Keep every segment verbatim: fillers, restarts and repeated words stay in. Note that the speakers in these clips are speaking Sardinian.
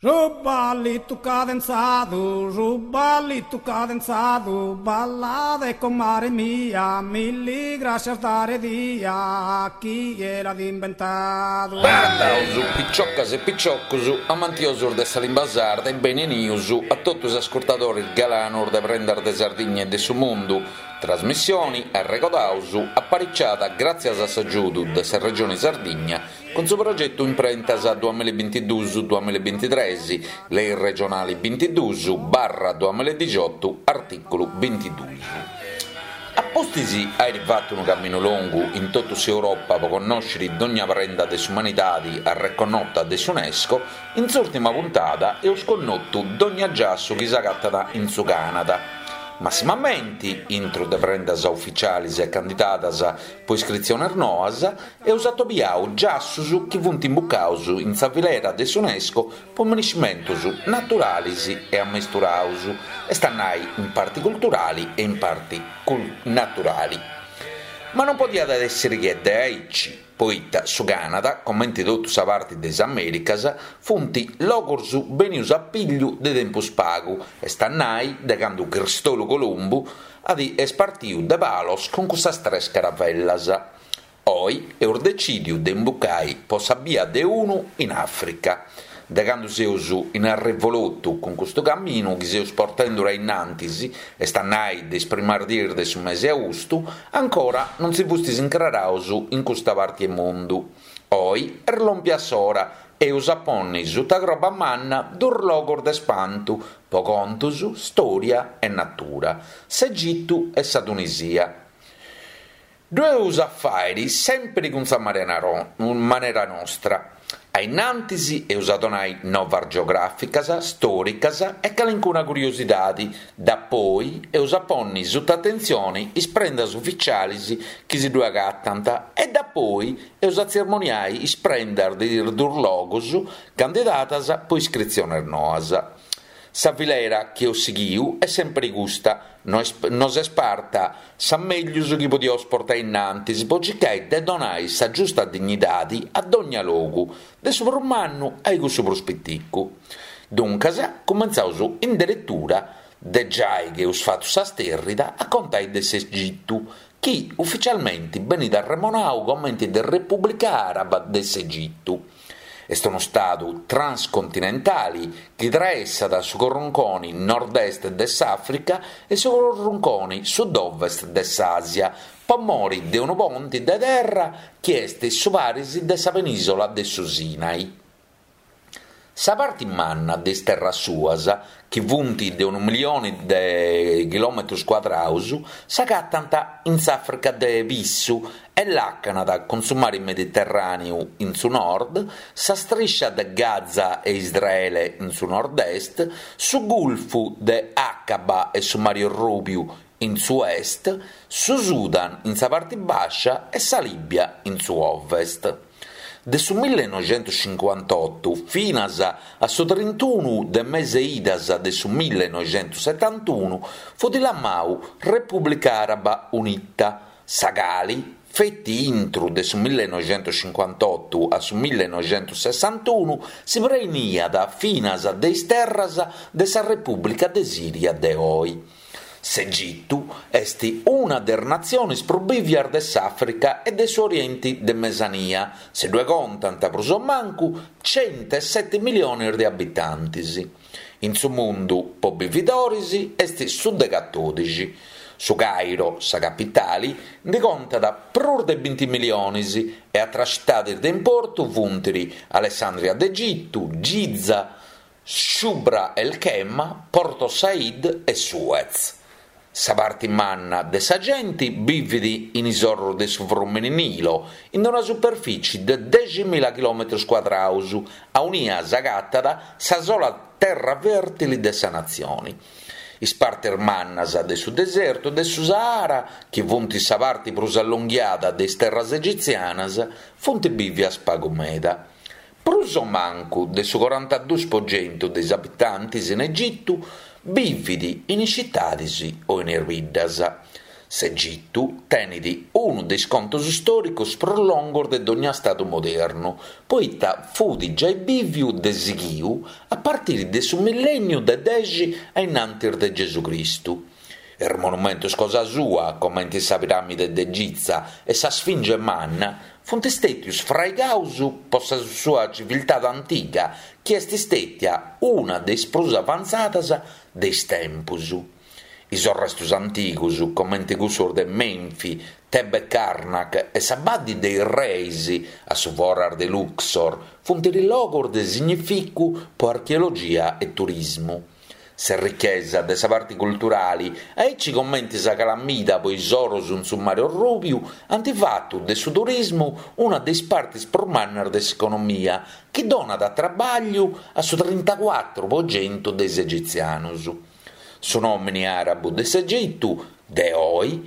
Su ballitu cadenzadu, su ballitu cadenzadu, ballade comare mia, milli grascias dare dia, chie l'at imbentadu. Benagataus, picioccas e picioccus, amantiosus de sa limba sarda e beni 'enius a totu is ascurtadoris galanus de Prendas de Sardigna e de su Mundu, trasmissioni, arregodaus, apariciada gràtzias a s'agiudu de sa Regioni Sardigna cun su progetu Imprentas duamilla e bintiduus duamilla e bintitres, Lei regionali bintiduus barra duamilla e dixiotu, artìculu bintiduus. A pustis àiri fatu unu caminu longu in totu s'Europa pro connòschere dogna prenda de s'umanidade arreconnota de s'UNESCO, in s'ùrtima puntada eus connotu dogna giassu chi s'agatat in su Canada. Massimamenti, intru de prendas uficialis e candidadas po iscritziones noas, eus atobiau giassus chi funt imbucaus in sa filera de s'UNESCO po miniscimentus naturalis e ammesturaus, est a nai in parti culturali e in parti naturali. Ma non podiat èssiri che de aici, poita su Canada, comente totu sa parti de is Americas, funt logos benius a pigliu de tempus pagu, est a nai de candu Cristolu Columbu at est partiu de Palos cun cussas tres caravellas. Oi eus decìdiu de imbucai po sa bia de unu in Àfrica. De candu seus in arrevolotu cun custu caminu chi seus portendu a innantis, est a nai de is primas dies de su mese austu, ancora non si fustis incraraus in custa parti 'e mundu. Oi est lòmpia s'ora, eus a ponni suta croba manna duos logos de spantu po contus, stòria e natura, s'Egitu e sa Tunisia. Ddu eus a fàere sèmpiri cun sa manera nostra. A innantis eus a donai novas geogràficas, stòricas e calincuna curiosidade, dapoi eus a ponni suta atentzione is prendas uficialis chi si ddu agatant e dapoi eus a tzermoniai is prendas de is duos logos candidadas po iscritziones noas. Sa filera chi eus sighiu est sèmpiri custa, nos est parta sa mègius chi podiaus portai innantis po circai de donai sa giusta dignidadi a dogna logu, de su prus mannu a cussu prus piticu. Duncas, cumentzaus in deretura, de giai chi eus fatu sa stèrrida, a contai de s'Egitu, chi uficialmenti benit arremonau comente de Repùblica Àraba de s'Egitu. Est unu stadu transcontinentali chi traessat su corrunconi nord-est de s'Àfrica e su corrunconi sud-ovest de s'Àsia, po mori de unu ponti de terra chi est su paris de sa penìsola de su Sinai. Sa parti manna de is terras suas, chi funt de unu milioni de chilòmetros cuadraus, s'agatant in s'Àfrica de Pissu e làcanat cun su mari Mediterràneu in su nord, sa striscia de Gaza e Israele in su nord-est, su Gulfu de Aqaba e su Mari Rùbiu in su est, su Sudan in sa parti bàscia e sa Lìbia in su ovest. De su millenoixentuscincuantotu finas a su trintunu de mese idas de su millenoixentussetantunu fut lamau Repùblica Àraba Unita, sa cali feti intru de su millenoixentuscincuantotu a su millenoixentusessantunu si preniat finas de is terras de sa Repùblica de Sìria de oi. S'Egitu est una de is natziones prus bìvias de s'Àfrica e de su Orienti de Mesania, si ddue contant prus o mancu cento e sete miliones de abitantes. In su mundu po bividores est su de catòdixi. Su Cairo, sa capitale, nde contat prus de binti miliones e àteras citades de importu funt Alessandria d'Egitu, Giza, Shubra el Khema, Porto Said e Suez. Sa parti manna de sa genti bivit in is orros de su frùmene Nilo, in una superfìtzie de deximila chilòmetros cuadraus, aunia s'agatat sa sola terra fèrtili de sa natzione. Is partes mannas de su desertu de su Sahara, chi funt sa parti prus allonghiada de is terras egitzianas, funt bìvias pagu meda. Prus o mancu de su corantaduus po centu de is abitantes in Egitu bivit in is citades o in is biddas. S'Egitu tenet unu de is contos istòricos prus longos de dogna stadu modernu, poita fut giai bìviu de sighiu a partire de su millènniu de dexi a innantis de Gesù Cristu. Is monumentos cosa sua, comente sa piràmide de Giza e sa Sfinge Manna, funt istètios fraigados pro sa sua civiltade antiga, chi est istètia una de is prus avantzadas de is tempos. Is arrestos antigos, comente cussos de Menfi, Tebe Karnak e sa Badde de is Reis a su foras de Luxor, funt logos de significu pro archeologia e turismu. Sa richesa de sa parte culturale, aici comente sa calamida pro is oros in su Mare Orrùbiu, ant fatu de su turismu una de is partes prus mannas de s'economia, chi donat traballu a su trintacuatro pro chentu de is egitzianos. Su nòmine àrabu de s'Egitu, de oe,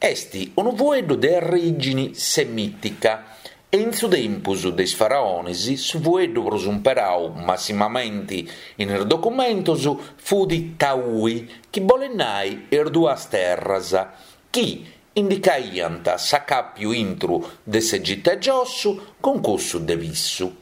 est unu fueddu de orìgine semìtica e in su tempus de is faraones su fueddu prus imperadu massimamente in is documentos fut Taui, chi bolet nai is duas terras, chi indicaiant s'acàpiu intro de s'Egitu e giossu cun cussu de Pissu.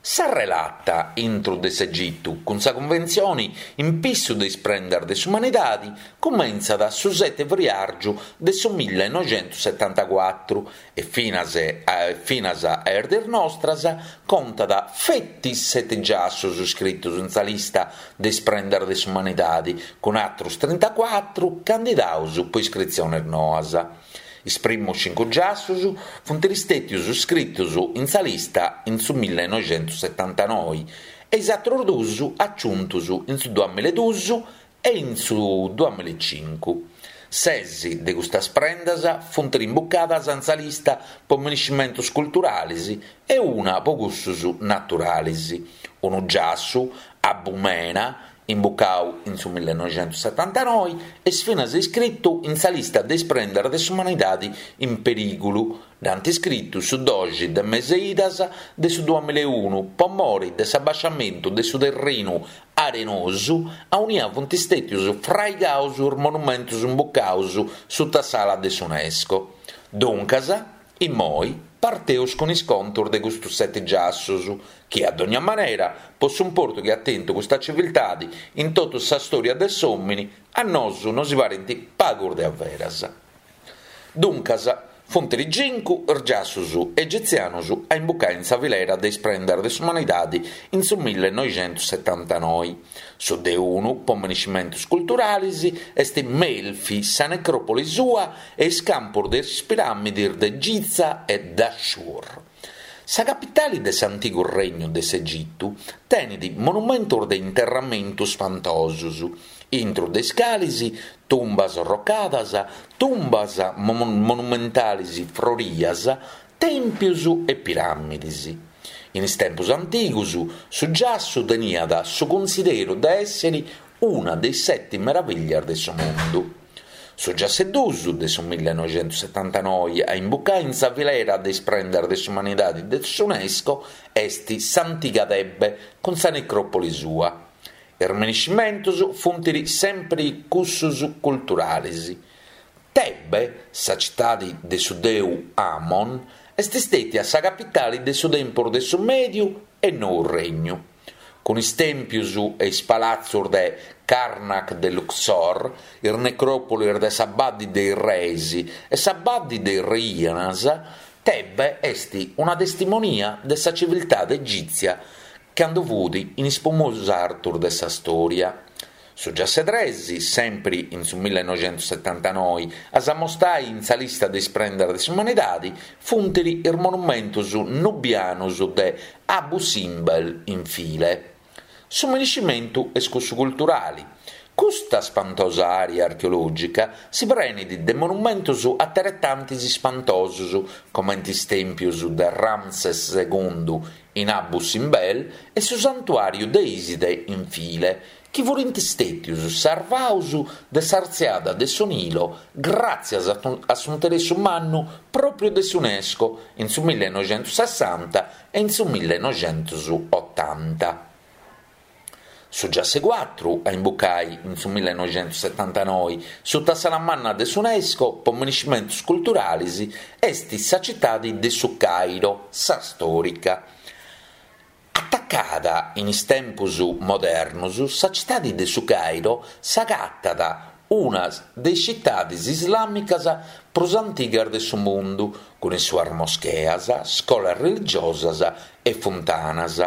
Sa relata intro de s'Egitu cun sa Cunventzione in pissu de is prendas de s'umanidade cumentzat su sete friàrgiu de su millenoixentosetantacuatro e finas a, finas a is dies nostras contat feti sete giassos iscritos in sa lista de is prendas de s'umanidade, cun àteros trintacuatro candidados pro iscritziones noas. Is primos cincu giassos funt istètios iscritos in sa lista in su millenoixentosetantanoe e is àteros duos agiuntos in su duamillaeduos e in su duamillaecincu. Ses de custas prendas funt imbucadas in sa lista pro miniscimentos culturales e una pro cussos naturales. Unu giassu, Abu Mena, imbucadu in su millenoixentosetantanoe, est finas iscritu in sa lista de is prendas de s'umanidade in perìgulu. Dd'ant iscritu su doxi de mese Idas de su duamillaeunu pro more de s'abasciamentu de su terrinu arenosu aunia funt istètios fraigados is monumentos imbucados suta s'ala de s'UNESCO. Duncas, immoi, parteus cun is contos de custos sete giassos, chi a dogna manera, po s'importu chi at tentu custa civiltade in totu sa storia de s'òmine, a nosu non si parent pagos de averas. Duncas, funt cincu is giassos egitzianos a imbucare in sa filera de is prendas de s'umanidade in su millenoixentosetantanoe. Su de unu, pro miniscimentos culturales, est Melfi, sa necròpoli sua e is campos de is piràmides de Giza e Dashur. Sa capitale de s'antigu regnu de s'Egitu tenet monumentos de interramentu spantosos, intro de is cales tumbas arrocadas, tumbas monumentales frorias, tèmpios e piràmides. In is tempos antigos, su giassu teniat su cunsideru de èssere una de is sete meravillas de su mundu. Su giassu duos de su millenoixentosetantanoe a imbucare in sa filera de is prendas de s'umanidade de s'UNESCO est s'antiga Tebe cun sa necròpoli sua. Is miniscimentos funt sempre cussos culturales. Tebe, sa citade de su deu Amon, est istètia sa capitale de su tempus de su Mèdiu e Nou Regnu. Cun is tèmpios e is palatzos de Karnak de Luxor, is necròpolis de sa Badde de is Reis e sa Badde de is Reinas, Tebe est una testimonia de sa civiltade egìtzia cando fut in is prus artos de sa storia. Su giassu tres, sempre in su millenoixentosetantanoe, a s'ammostai in sa lista de is prendas de s'umanidade, funt is monumentos nubianos de Abu Simbel in File. Su miniscimentu est cussu culturale. Custa spantosa area archeològica si prenit de monumentos ateretantes ispantosos, comente is tèmpios de Ramses segundu in Abu Simbel e su santuàriu de Iside in File, chi funt istètios sarvados de s'artziada de su Nilo gràtzias a s'interessu mannu pròpiu de s'UNESCO in su millenoixentosessanta e in su millenoixentosotanta. Su giassu 'e cuatru a imbucai in su millinoixentussetantanoi suta s'ala manna de s'UNESCO po minescimentus culturalis est sa citadi de su Cairo, sa stòrica. Atacada in is tempus modernos, sa citadi de su Cairo s'agatat una de is citadis islàmicas prus antigas de su mundu, cun is suas moscheas, scolas religiosas e funtanas.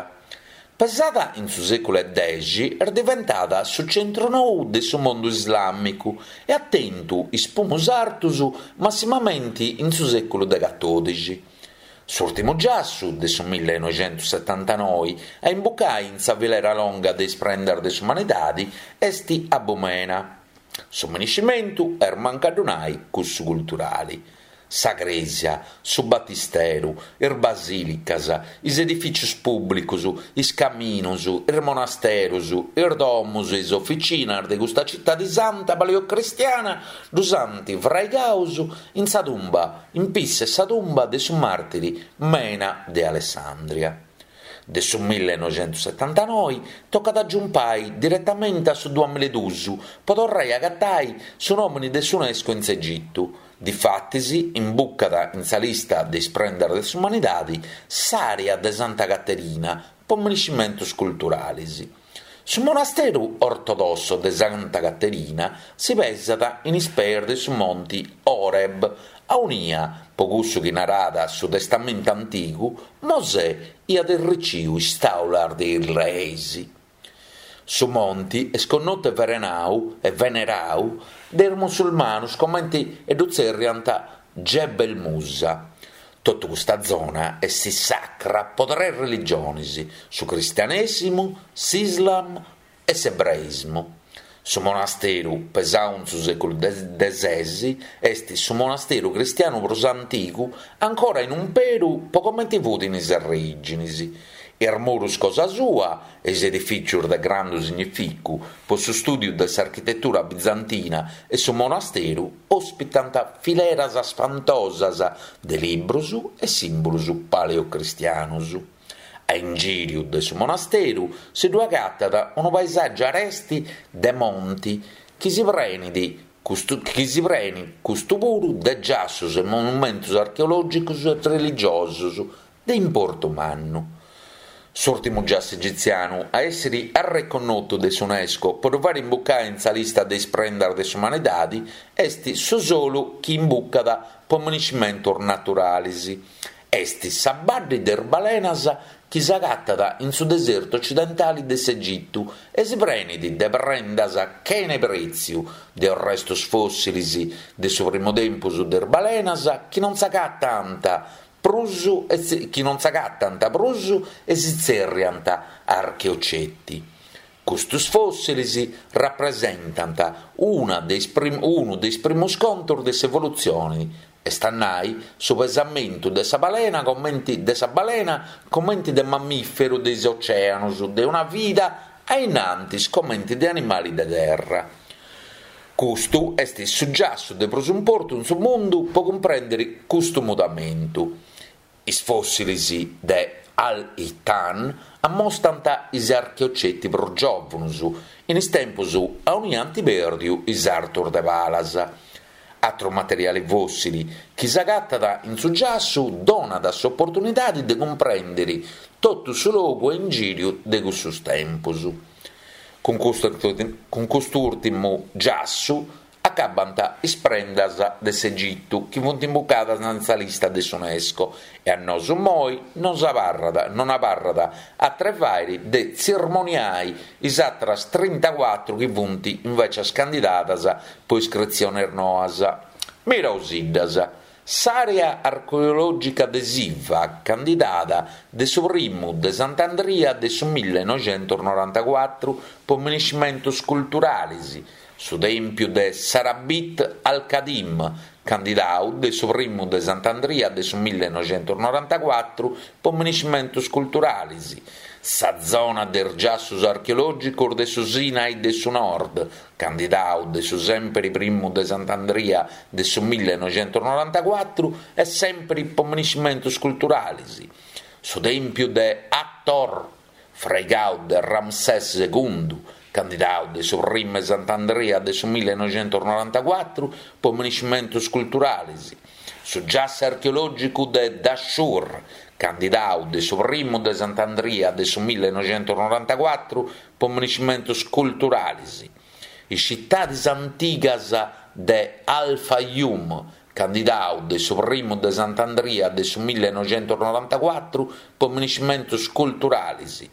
Pesada in su sèculu 'e dexi, est diventada su centru nou de su mundu islàmicu e at tentu is pumus artus massimamenti in su sèculu de catòdixi. S'ùrtimu giassu de su millinoixentussetantanoi a imbucai in sa filera longa de is prendas de s'umanidadi est Abu Mena. Su minescimentu est mancu a ddu nai cussu culturali. Sa crèsia, su batisteru, is basìlicas, is edifìtzios pùblicos, is caminos, is monasteros, is domos e is oficinas de custa citadi santa paleocristiana ddus ant fraigados in sa tumba, in pissa 'e sa tumba de su màrtiri Mena de Alessandria. De su millinoixentussetantanoi tocat a giumpai diretamenti a su duamilla e duus po torrai a agatai su nòmini de s'UNESCO in s'Egitu. Difatis imbucat in sa lista de is prendas de s'umanidadi s'àrea de Santa Caterina po minescimentus culturalis. Su monasteru ortodosso de Santa Caterina si pesat in is peis de su monti Oreb, aunia, po cussu chi narat su Testamentu Antigu, Mosè iat erriciu is taulas de is leis. Su monti est connotu e verenau e venerau de is musulmanus comenti e ddu tzerriant Jebel Musa. Totu custa zona est sacra po tres religiones, su cristianèsimu, s'Islam e s'ebraismu. Su monasteru, pesau in su sèculu de ses, est su monasteru cristianu prus antigu ancora in umperu po comente fut in is arrèginis. Is murus cosa sua e is edifìtzios de grandu significu po su stùdiu de s'architetura bizantina e su monasteru òspitant fileras spantosas de libros e sìmbulos paleocristianos. A ingìriu de su monasteru si ddu agatat unu paesàgiu aresti de monti chi si prenit custu, chi si prenit custu puru de giassos e monumentos archeològicos e religiosos de importu mannu. S'ùrtimu giassu egitzianu a èssere arreconnotu de s'UNESCO po ddu fàere imbucai in sa lista de is prendas de s'umanidadi est su solu chi imbucat po minescimentos naturales. Est sa Badde de is Balenas chi s'agatat in su desertu ocidentale de s'Egitu e si prenit de prendas chene prètziu, de restos fòssiles de su primu tempus de is balenas chi non s'agatant prus e chi non s'agatant prus e si tzerriant archeoceti. Custos fòssiles rapresentant una de is prim, unu de is primos contos de s'evolutzione, est a nai su pesamentu de sa balena comenti de sa balena comenti de mammìferu de is oceanos de una vida a innantis comenti de animali de terra. Custu est su giassu de prus importu in su mundu po cumprèndere custu mudamentu. Is fòssiles de Al-Hitan ammostant is archeoceti prus giòvanos, in is tempos aunia ant pèrdiu is artos de palas. Atru materiale fòssile chi s'agatat in su giassu donat s'oportunidade de cumprèndere totu su logu a ingìriu de cussos tempos. Cun custu, cun cust'ùrtimu giassu acabant is prendas de s'Egitu chi funt imbucadas in sa lista de s'UNESCO e a nosu moi non s'abarrat, non abarrat atru 'e fàere de tzirmoniai is atras trintacuatru chi funt invecias candidadas po iscritziones noas. Miraosiddas. S'àrea archeològica de Siwa, candidada de su primu de Sant'Andria de su millinoixentusnorantacuatru po minescimentos culturales, su tèmpiu de Sarabit al-Khadim, candidadu de su primu de Sant'Andria de su millinoixentusnorantacuatru po minescimentos culturales, sa zona de is giassos archeològicos de su Sinai de su Nord, candidadu de su sèmpere primu de Sant'Andria de su millinoixentusnorantacuatru e sèmpere po minescimentos culturales, su tèmpiu de Hathor, fraigau de Ramsès segundu, candidau de su primu 'e Sant'Andria de su millenoixentusnorantacuatru po miniscimentus culturalis, su giassu archeològicu de Dashur, candidau de su primu de Sant'Andria de su millenoixentusnorantacuatru po miniscimentus culturalis, is citadis antigas de Al-Fayyum, candidau de su primu de Sant'Andria de su millenoixentusnorantacuatru po miniscimentus culturalis,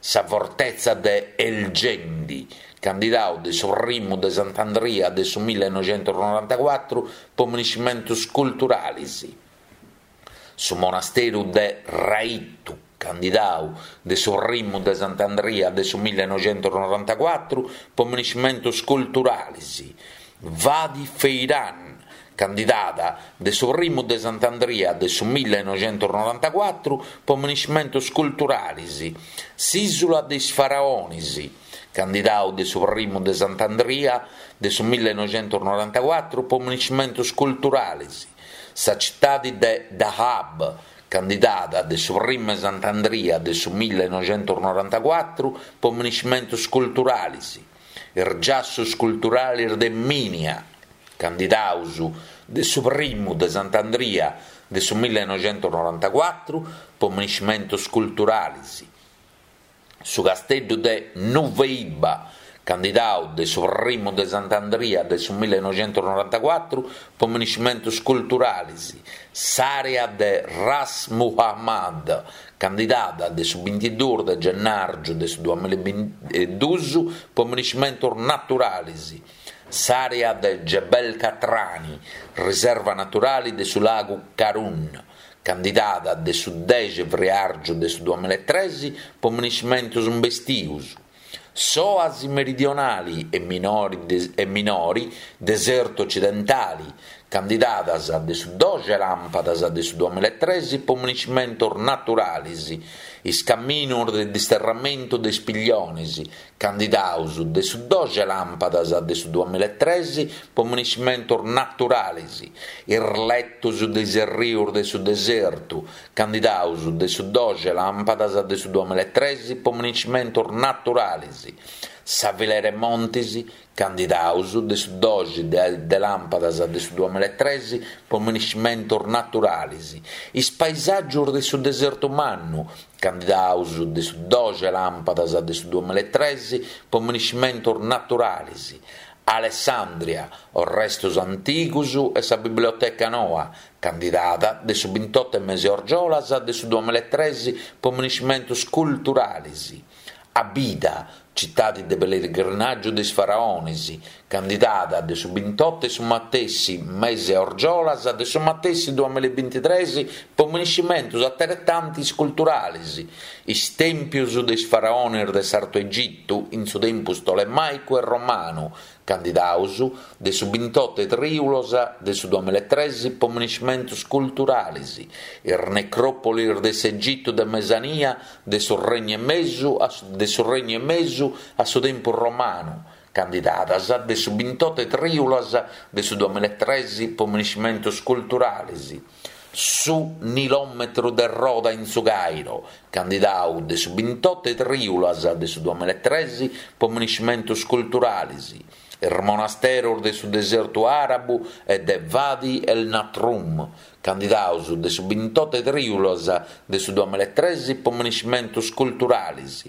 sa fortetza de El Gendi, candidau de su primu de Sant'Andria de su millenoixentusnorantacuatru po miniscimentus culturalis, su monasteru de Raithu, candidau de su primu de Sant'Andria de su millenoixentusnorantacuatru po miniscimentus culturalis, Wadi Feiran, candidada de su primu de Sant'Andria de su millenoixentusnorantacuatru po miniscimentus culturalis, s'ìsula de is faraonis, candidau de su primu de Sant'Andria de su millenoixentusnorantacuatru po miniscimentus culturalis, sa citadi de Dahab, candidada de su primu 'e Sant'Andria de su millenoixentusnorantacuatru po miniscimentus culturalis, is giassus culturalis de Minya, candidaus de su primu de Sant'Andria de su millenoixentusnorantacuatru po miniscimentus culturalis, su casteddu de Nuweiba, candidau de su primu de Sant'Andria de su millenoixentusnorantacuatru po miniscimentus culturalis, s'àrea de Ras Muhammad, candidada de su bintiduus de gennàrgiu de su duamilla e bintiduus po miniscimentus naturalis, s'àrea de Jebel Qatrani, riserva naturali de su lagu Qarun, candidada de su dexi friàrgiu de su duamilla e tres po miniscimentus imbestius, s'òasi meridionali e minori e minori desertu ocidentali, candidadas de su doxi làmpadas de su duamilla e tres po miniscimentus naturalis, is caminus de disterramentu de is pillionis, candidaus de su doxi làmpadas de su duamilla e tres po miniscimentus naturalis, is letus de is errius de su desertu, candidaus de su doxi làmpadas de su duamilla e tres po miniscimentus naturalis, sa filera 'e montis, candidaus de su doxi de làmpadas de su duamilla e tres po miniscimentus naturalis, is paisàgius de su desertu mannu, candidaus de su doxi làmpadas de su duamilla e tres po miniscimentus naturalis, Alessandria, orrestus antigus e sa biblioteca noa, candidada de su bintotu 'e mesi 'e argiolas de su duamilla e tres po miniscimentus culturalis, Abida, citadi de pellegrinàgiu de is faraonis, candidada de su bintotu 'e su matessi mesi 'e argiolas de su matessi duamilla e bintitres po miniscimentus ateretantis culturalis, is tèmpius de is faraonis de s'Artu Egitu in su tempus tolemàicu e romanu, candidaus de su bintotu 'e trìulas de su duamilla e tres po miniscimentus culturalis, is necròpolis de s'Egitu de Mesania de su Regnu 'e Mesu a de su Regnu 'e Mesu a su tempus romanu, candidadas de su bintotu 'e trìulas de su duamilla e tres po miniscimentus culturalis, su nilòmetru de roda in su Cairo, candidau de su bintotu 'e trìulas de su duamilla e tres po miniscimentus culturalis, is monasteros de su desertu àrabu e de Wadi El Natrum, candidaus de su bintotu 'e trìulas de su duamilla e tres po miniscimentus culturalis,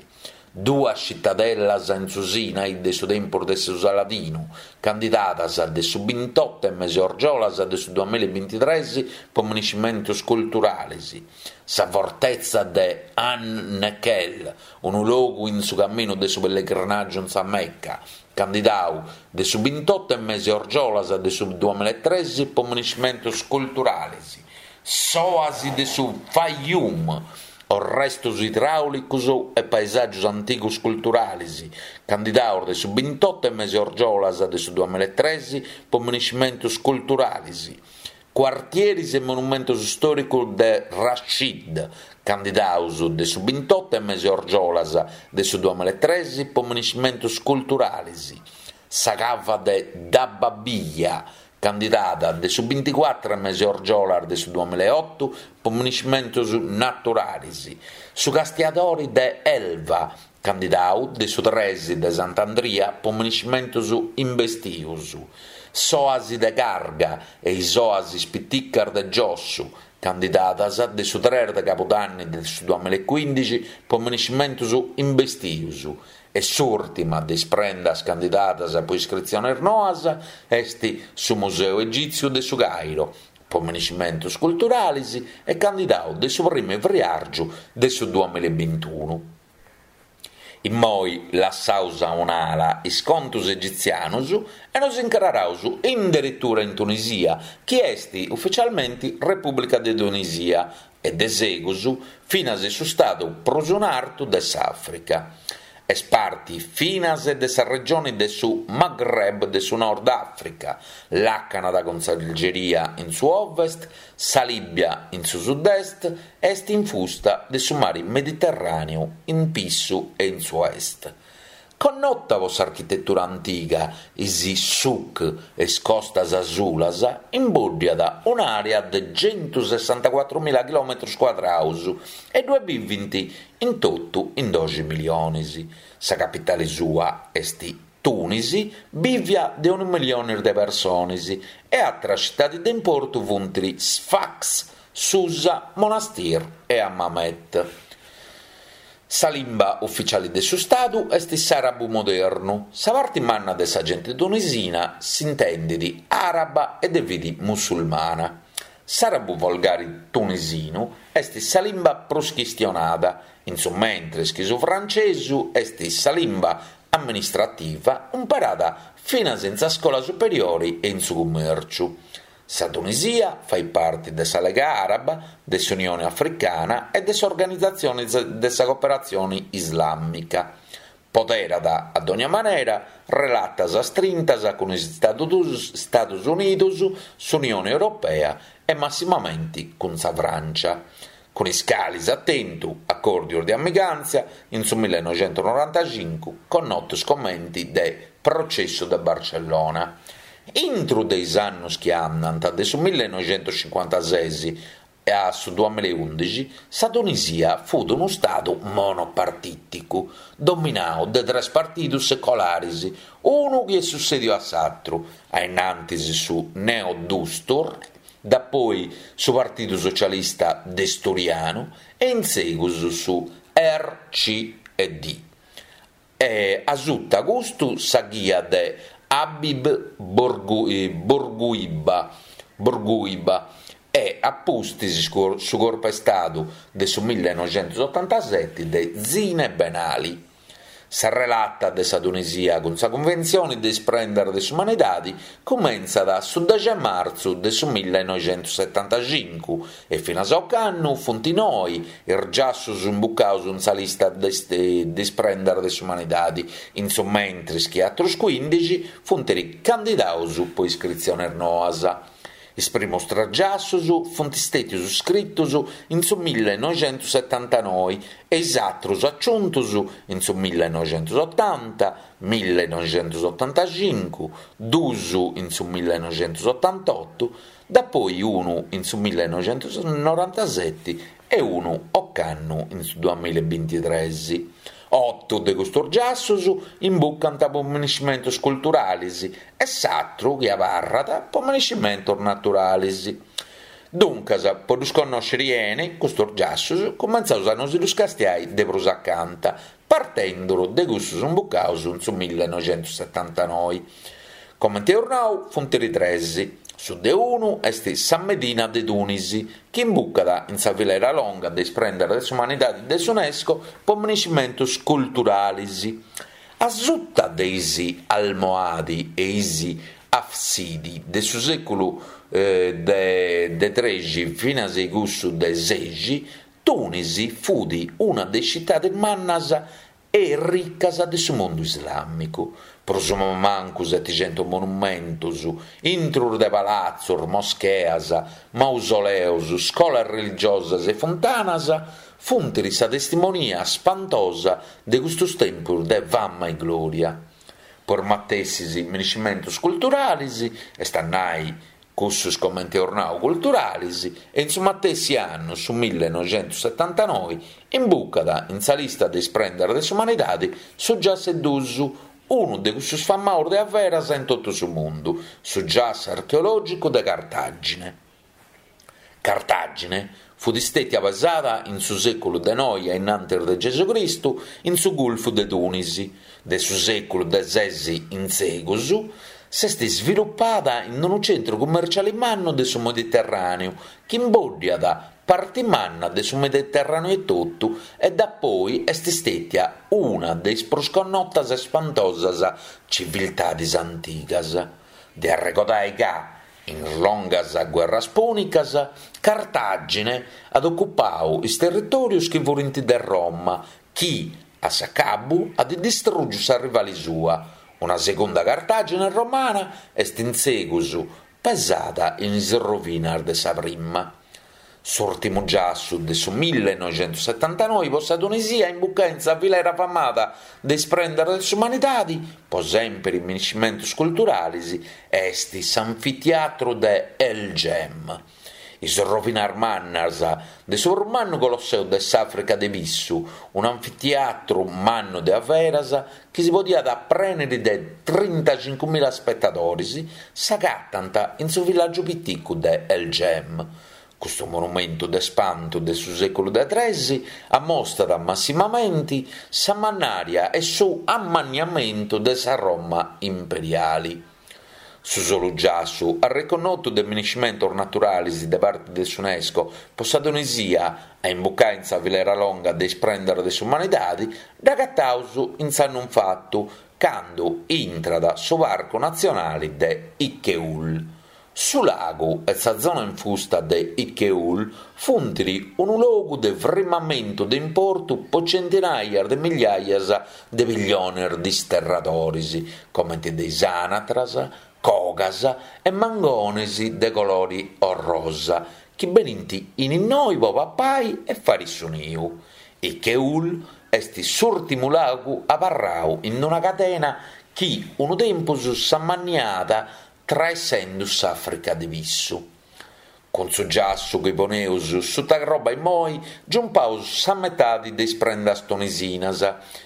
duas citadellas in su Sinai de su tempus de su Saladinu, candidadas de su bintotu 'e mesi 'e argiolas de su duamilla e bintitres po miniscimentus culturalis, sa fortetza de An Nekhel, unu logu in su caminu de su pellegrinàgiu in sa Mecca, candidau de su bintotu 'e mesi 'e argiolas de su duamilla e tres po miniscimentus culturalis, s'òasi de su Fayyum, orrestus idràulicus e paesàgius antigus culturalis, candidaus de su bintotu 'e mesi 'e argiolas de su duamilla e tres po miniscimentus culturalis, cuartieris e monumentus stòricus de Rashid, candidaus de su bintotu 'e mesi 'e argiolas de su duamilla e tres po miniscimentus culturalis, sa cava de Dababiya, candidada de su binticuatru mesi 'e argiolas de su duamilla e otu po miniscimentus naturalis, su Castiadori de Elva, candidau de su tres de Sant'Andria po miniscimentus imbestius, s'Òasi de Carga e is Òasis piticas de Giossu, candidadas de su tres de Cabudanni de su duamilla e cuindixi po miniscimentus imbestius, e s'ùrtima de is prendas candidadas po iscritziones noas est su Museu Egìtziu de su Cairo, po miniscimentus culturalis e candidau de su primu 'e friàrgiu de su duamilla e bintunu. Immoi lassaus a un'ala is contus egitzianus e nos incraraus in deretura in Tunisia, chi est ufitzialmenti Repùblica de Tunisia e de segus finas su stadu prus in artu de s'Àfrica. Est parti finas de sa regione de su Maghreb de su Nord Àfrica, làcanat cun s'Algeria in su ovest, sa Lìbia in su sud-est e est infusta de su mare Mediterràneu in pissu e in su est. Connota po s'architetura antiga, is souk e is costas asulas, imbòddiat un'àrea de centusessantacuatru mila chilòmetros cuadraus e ddue bivint in totu in doxi miliones. Sa capitale sua est Tunisi, bìvia de unu milione de persones, e àteras tzitades de importu funt Sfax, Susa, Monastir e Hammamet. Sa limba ufitziale de su Stadu est s'àrabu modernu. Sa parte manna de sa gente tunisina s'intendet àraba e de fide musulmana. S'àrabu volgare tunisinu est sa limba prus chistionada, in su mentres chi su frantzesu est sa limba amministrativa imparada finas in sa scola superiore e in su cummèrciu. Sa Tunisia fait parte de sa Lega Àraba, de s'Unione Africana e de s'Organizatzione de sa Cooperatzione Islàmica. Poderat, a dogna manera, relatas astrintas cun is Istados Unidos, s'Unione Europea e massimamente cun sa Frància, cun is cales at tentu acòrdios de amigàntzia in su millenoixentonorantacincu, connotos comente de Processu de Barcellona. Intro de is annos chi andant de su millenoixentocincuantases a su duamilla e ùndixi, sa Tunisia fut unu stadu monopartìticu, dominadu de tres partidos seculares, unu chi est sussèdiu a s'àteru, a innantis su Neo-Dustur, dapoi su Partidu Socialista Desturianu e in segus su R C e D. E a suta custu sa ghia de Habib Bourguiba, Bourguiba e a pustis su corpu 'e Stadu de su millenoixentotantasete de Zine Ben Ali. Sa relata de sa Tunisia cun sa Cunventzione de is Prendas de s'Umanidade cumentzat su dexi 'e martzu de su millenoixentosetantacincu e finas a ocannu funt noe is giassos imbucados in sa lista de is Prendas de s'Umanidade, in su mentres chi àteros cuindixi funt candidados po iscritziones noas. Is primos tres giassos funt istètios iscritos in su millenoixentosetantanoe e is àteros aciuntos in su millenoixentotanta, millenoixentotantacincu, duos in su millenoixentotantoto, dapoi unu in su millenoixentonorantasete e unu ocannu in su duamilla e bintitrès. Oto de custos giassos imbucant po miniscimentos culturales e s'àteru chi abarrat po miniscimentos naturales. Duncas, po ddus connòschere bene, custos giassos, cumentzaus a nos ddus castiai de prus acanta, partendo de cussos imbucados in su millenoixentosetantanoe. Comente eus nau, funt tres. Su de unu est sa Medina de Tunisi, chi imbucat in sa filera longa de is Prendas de s'Umanidade de s'UNESCO po miniscimentos culturales. A suta de is Almohadi e is Hafsidi de su sèculu de de trexi finas a cussu de sexi, Tunisi fut una de is tzitades mannas e ricas de su mundu islàmicu. Prus o mancu setixentos monumentos, intro de palatzos, moscheas, mausoleos, scolas religiosas e funtanas, funt sa testimonia spantosa de custos tempos de fama e glòria. Po is matessis minescimentus culturalis, est a nai cussus comenti eus nau culturalis, e in su matessi annu, su millenoixentussetantanoi, imbucat in sa lista de is prendas de s'umanidadi su giassu 'e dus, unu de cussus famaus de averas in totu su mundu, su giassu archeològicu de Cartàgine. Cartàgine fut stètia pesada in su sèculu de noi a innantis de Gesucristu in su Gulfu de Tùnisi, de su sèculu de ses in segus s'est svilupada in unu centru cummerciali mannu de su Mediterràneu chi imboddiat parti manna de su Mediterràneu etotu e dapoi est stètia una de is prus connotas e spantosas civiltadis antigas. De arregodai ca, in is longas guerras pùnicas, Cartàgine at ocupau is territòrios chi furint de Roma, chi, a s'acabu, at distrùgiu s'arrivali sua. Una segunda Cartàgine romana est in segus pesada in is rovinas de sa prima. S'ùrtimu giassu de su millenoixentussetantanoi po sa Tunisia a imbucai in sa filera famada de is prendas de s'umanidadi, po sèmpiri minescimentus culturalis, est s'anfitiatru de El Jem. Is rovinas mannas de su prus mannu colosseu de s'Àfrica de Pissu, un'anfitiatru mannu de averas chi si podiat prèniri de trintacincumila spetadoris, s'agatant in su villàgiu piticu de El Jem. Custu monumentu de spantu de su sèculu de tres ammostat massimamenti sa mannària e su ammanniamentu de sa Roma imperiali. Su solu giassu, arreconnotu de minescimentos naturalis de parti de s'UNESCO po sa Tunisia a imbucai in sa filera longa de is prendas de s'umanidadi, dd'agataus in s'annu infatu, candu intrat su Parcu Natzionali de Ichkeul. Su lagu e sa zona infusta de Ichkeul funt unu logu de frimamentu de importu po centinaias de migliaias de pilliones disterradoris, comente de is anatras, cogas e mangones de colori orrosa, chi benint in innoi po papai e fari su niu. Ichkeul est s'ùrtimu lagu abarrau in una cadena chi unu tempus s'ammanniat traessendu s'Àfrica de Pissu. Cun su giassu chi poneus suta croba immoi, giumpaus sa metadi de is prendas tunisinas.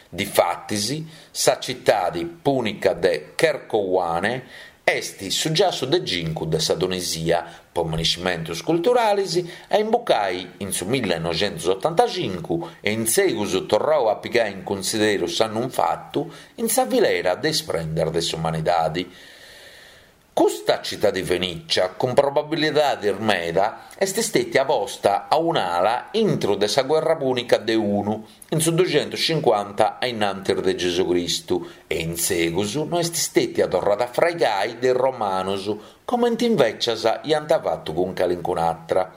Difatis, sa citadi pùnica de Kerkouane est su giassu de cincu de sa Tunisia, po minescimentus culturalis, a imbucai in su millenoixentusotantacincu e in segus torrau a pigai in cunsideru s'annu infatu in sa filera de is prendas de s'umanidadi. Custa citadi fenìcia, cun probabilidadis meda, est stètia posta a un'ala intro de sa guerra pùnica de unu, in su duxentuscincuanta a innantis de Gesucristu, e in segus no est stètia torrada a fraigai de is romanos, comente invècias iant fatu cun calincun'atra.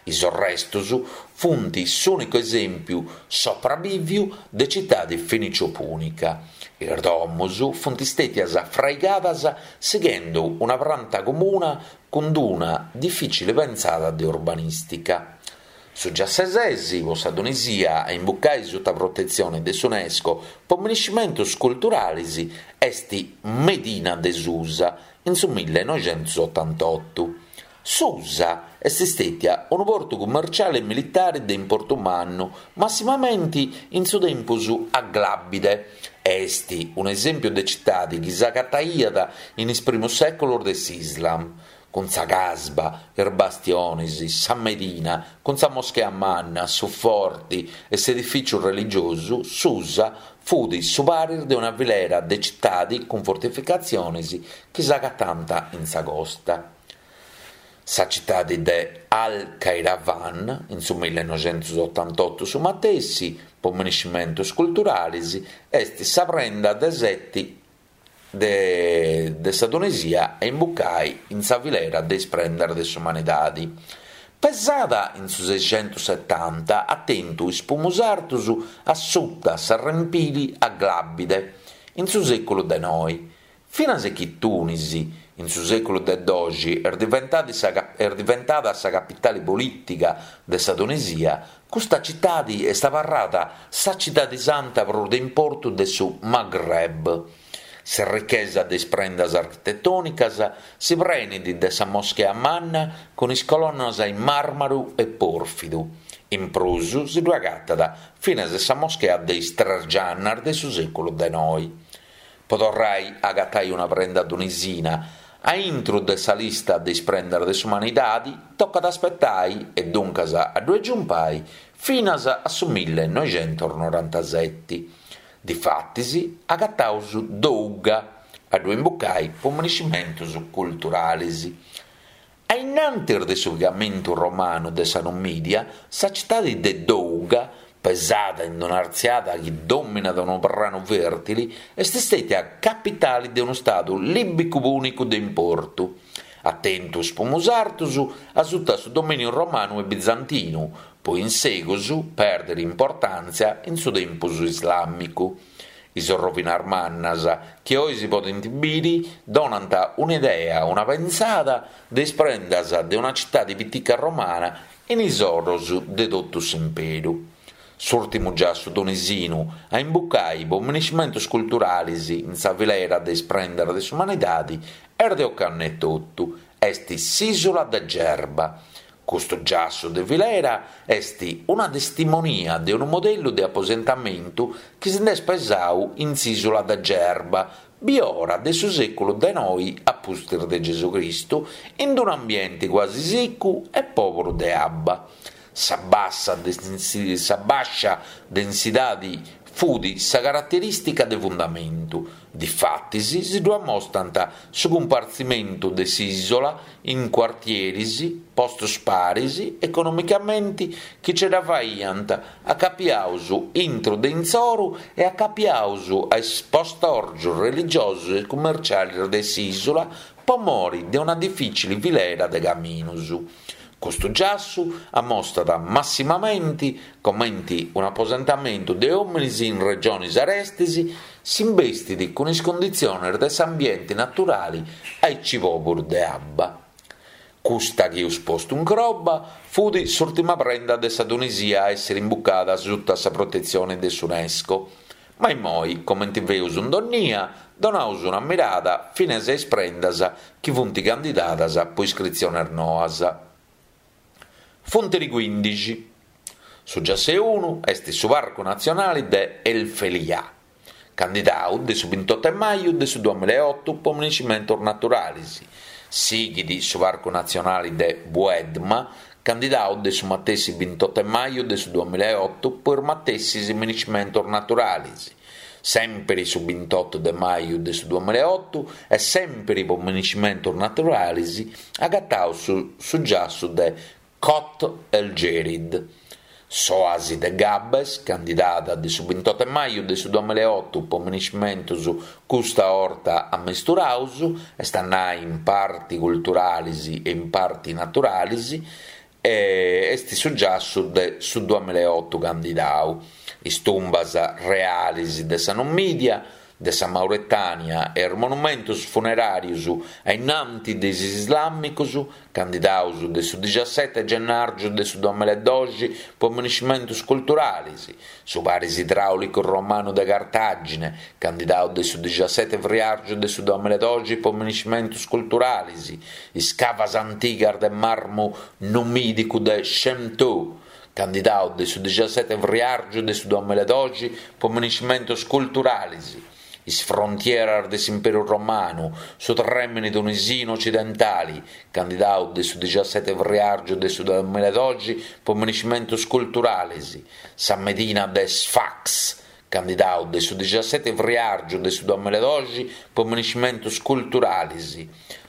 Is arrestos funt s'ùnicu esèmpiu soprabìviu de citadi fenicio-pùnica. Is domos funt stètias fraigadas sighende una pranta comuna cun una difìcile pensada de urbanìstica. Su giassu 'e ses, po sa Tunisia, a imbucai suta protetzione de s'UNESCO po minescimentos culturales, est Medina de Susa, in su millenoixentusotantotu. Susa est stètia unu portu cummerciale e militare de importu mannu, massimamente in su tempus aglabide. Est un'esèmpiu de citade chi s'agataiat in is primos sèculos de s'Islam, cun sa Casba, is bastiones, sa Medina, cun sa moschea manna, su forte e s'edifìtziu religiosu, Susa fut su paris de una filera de citade cun fortificatziones chi s'agatant in sa costa. Sa citade de Al-Qayrawan, in su millenoixentusotantotu su matessi, po minescimentos culturales, est sa prenda de sete de, de sa Tunisia a imbucai in sa filera de is prendas de s'umanidade. Pesada in su seixentussetanta, at tentu is primus sartos a suta s'arrempili aglabide, in su sèculu de noi. Finas chi Tunisi, in su sèculu de doxi, est diventada sa, est diventada sa capitale polìtica de sa Tunisia, custa citade est abarrada sa citade santa prus de importu de su Maghreb. S'errichesa de is prendas architetònicas si prenit de sa moschea manna cun is colonnas in màrmaru e pòrfidu. In prus si ddu agatat finas sa moschea de is Tres Giannas de su sèculu de noi. Po torrai a agatai una prenda tunisina a intro de sa lista de is prendas de s'umanidade tocat a aspetai, e duncas a ddu giumpai, finas a su millenoixentos norantaseti. Difatis agataus Dougga a ddu imbucai po minescimentos culturales. A innantis de su pigamentu romanu de sa Numidia, sa citade de Dougga, pesada in un'artziada chi dominat unu pranu fèrtile, est istètia capitale de unu stadu lìbicu-pùnicu de importu. At tentu is pumus artos a suta su domìniu romanu e bizantinu, poi in segus pèrdere importàntzia in su tempus islàmicu. Is rovinas mannas chi oe si podent bìdere donant un'idea, una pensada de is prendas de una citade pitica romana in is oros de totu s'imperu. S'ùrtimu giassu tunisinu a imbucai po minescimentos culturales in sa filera de is prendas de s'umanidade est de ocannu etotu, est s'ìsula de Gerba. Custu giassu de filera est una testimonia de unu modellu de aposentamentu chi si nd'est pesadu in s'ìsula de Gerba, biora de su sèculu de noi a pustis de Gesù Cristu, in un'ambiente quasi sicu e pòberu de abba. Sa bassa, sa bàscia densidade fut sa caraterìstica de fundamentu. Difatis si ddu amostant su cumpartzimentu de s'ìsula in cuartieris, postos paris, economicamente, chi ce dda faiant acapiados intro de intzoru e acapiados a is postòrgios religiosos e cummerciales de s'ìsula po more de una difìcile filera de caminos. Custu giassu ammostat massimamente comente un'aposentamentu de òmines in regiones arestes si imbestit cun is cunditziones de s'ambiente naturale aici pòberu de abba. Custa chi eus postu in croba fut s'ùrtima prenda de sa Tunisia a èssere imbucada sutta sa protetzione de s'UNESCO. Ma immoi, comente feus in donnia, donaus una mirada finas a is prendas chi funt candidadas po iscritziones noas. Funt quindixi. Su giassu unu est su Parcu Natzionale de El Felià, candidadu de su ventotto de maju de su duemilaotto po minescimentos naturales. Sighit su Parcu Natzionale de Bouedma, candidadu de su matessi ventotto de maju de su duemilaotto po is matessi minescimentos naturales. Sempre su ventotto de maju de su duemilaotto e sempre po minescimentos naturales agataus su, su giassu de Chott El Jerid. S'oasi de Gabes, candidada de su ventotto de maju de su duemilaotto po minescimentos custa orta ammesturaus, est a nai in parti culturales e in parti naturales, e est su giassu de su duemilaotto candidadu. Is tumbas reales de sa Numidia, de sa Mauretania e is monumentos funeràrios a innanti de is islàmicos, candidados de su diciassette gennàrgiu de su duemiladoxi po minescimentos culturales, su paris idràulicu romanu de Cartagine, candidadu de su diciassette friàrgiu de su duemiladoxi po minescimentos culturales, is cavas antigas de marmu numìdicu de Chemtou, candidadu de su diciassette friàrgiu de su duemiladoxi po minescimentos culturales, is frontieras de s'Imperu Romanu, su trèmene tunisinu occidentale, candidadu de su diciassette friàrgiu de su duemiladoxi po minescimentos culturales, sa Medina de Sfax, candidadu de su diciassette friàrgiu de su duemiladoxi po minescimentos culturales,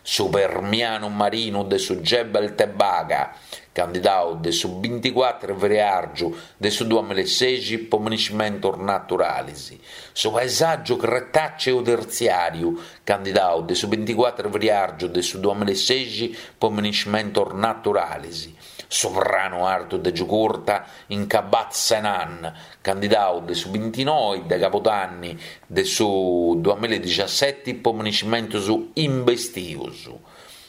su Permianu marinu de su Gebel Tebaga, candidadu de su ventiquattro friàrgiu de su duemilaseixi po minescimentos naturales, su paesàgiu cretàceu tertziàriu, candidadu de su ventiquattro friàrgiu de su duemilaseixi po minescimentos naturales, su pranu artu de Giugurta in Kabat Senan, candidadu de su ventinoe de Cabudanni de su duemiladiciasseti po minescimentos imbestios.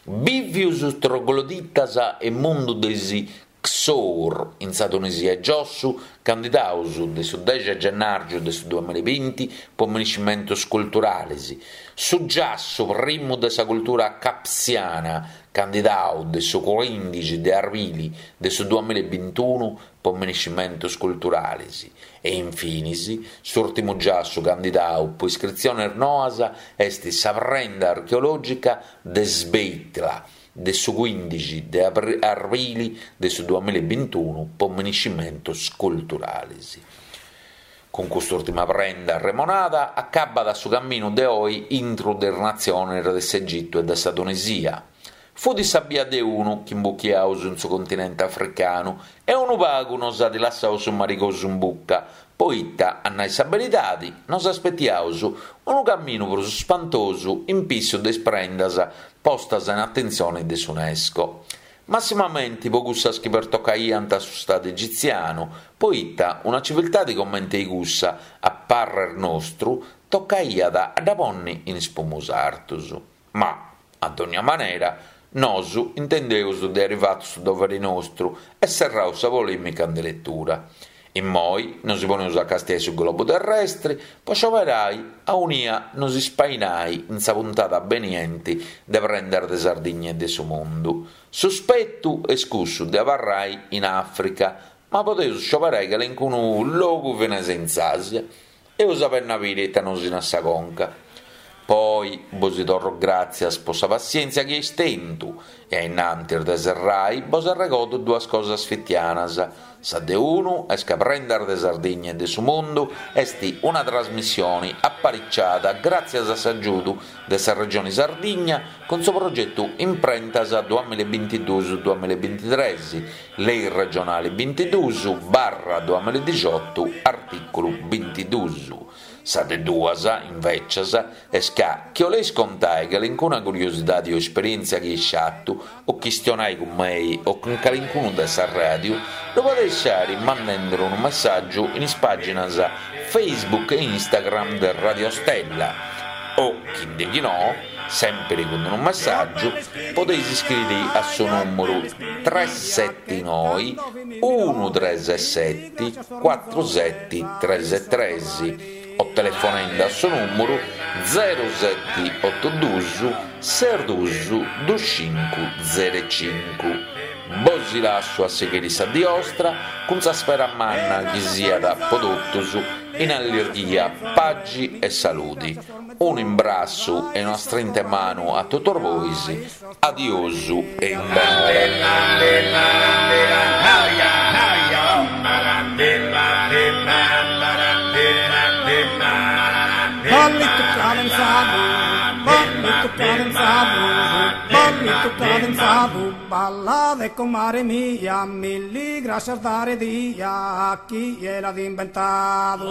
Bìvios trogloditas e mundu de is Ksour in sa Tunisia 'e giossu, candidaus de su dexi de gennàrgiu de su duamilla e binti po minescimentus culturalis, su giassu primu de sa cultura capsiana, candidau de su cuìndixi de arbili de su duamilla e bintunu po minescimentus culturalis e infinis s'ùrtimu giassu candidau po iscritziones noas est sa prenda archeològica de Sbeitla de su cuìndixi de arbili de su duamilla e bintunu po minescimentus culturalis. Cun cust'ùrtima prenda arremonada acabbat su caminu de oe intro de is natziones de s'Egitu e de sa Tunisia. Fut sa bia de unu chi imbuchiaus in su continente africanu e unu pagu nos at lassau su marigosu in bucca, poita, a nai sa beridadi, nos aspetiaus unu caminu prus spantosu in pissu de is prendas postas in atentzione de s'UNESCO. Massimamenti po cussas chi pertocaiant su Stadu egitzianu, poita una civiltade comente cussa, a parrer nostru, tocaiat a dda ponni in is primus artus. Ma, a dogna manera, nosu intendeus de aer fatu su dovere nostru e serraus sa polèmica in deretura. Immoi nosi poneus a castiai su globu terrestri po scioberai aunia nos ispainai in sa puntada benienti de Prendas de Sardigna e de su Mundu. Su spetu est cussu de abarrai in Àfrica, ma podeus scioberai calincunu logu finas in s'Àsia. Eus a benni a biri ita nos narat sa conca. Poi bosi torro gràtzias po sa passièntzia chi eis tentu e a innantis de serrai bos arregodo duas cosas fitianas. Sa de unu est ca Prendas de Sardigna e de su Mundu est una trasmissione apariciada gràtzias a s'agiudu de sa Regione Sardigna cun su progetu Imprentas duamilla e bintiduus duamilla e bintitres, Lei regionale bintiduus barra duamilla e dixiotu, artìculu bintiduus. Sa de duas, invècias, est ca chi 'oleis contai calincuna curiosidade o esperièntzia chi eis fatu o chistionai cun mei o cun calincunu de sa ràdiu, lu podeis fàere mandende unu messàgiu in is pàginas Facebook e Instagram de Radio Stella o, chi ndeghinò, sèmpere cun unu messàgiu, podeis iscriere a su nùmeru tres sete noe unu tres sete cuatru sete tres tres o telefonende a su nùmeru zero sete oto duus ses duus dus cincu zero cincu. Bosi lassu a sighire sa die 'ostra cun sa spera manna chi siat po totus in allirghia, pagi e saludi. Unu imbrassu e una strinta 'e manu a totus bois. Adiosu e in bonora. Ballito cadenzado, ballito cadenzado, ballito cadenzado, balla de comare mia, milli gracias dare dia a chi l'ha inventado.